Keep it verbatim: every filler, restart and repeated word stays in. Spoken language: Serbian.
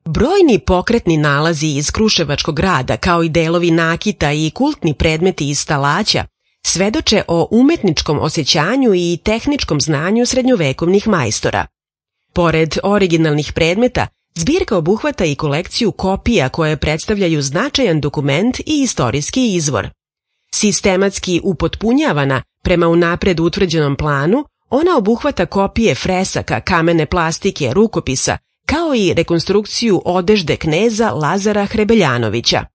Brojni pokretni nalazi iz Kruševačkog grada, kao i delovi nakita i kultni predmeti iz Stalaća, svedoče o umetničkom osjećanju i tehničkom znanju srednjovekovnih majstora. Pored originalnih predmeta, zbirka obuhvata i kolekciju kopija koje predstavljaju značajan dokument i istorijski izvor. Sistematski upotpunjavana prema unapred utvrđenom planu, ona obuhvata kopije fresaka, kamene plastike, rukopisa, kao i rekonstrukciju odežde kneza Lazara Hrebeljanovića.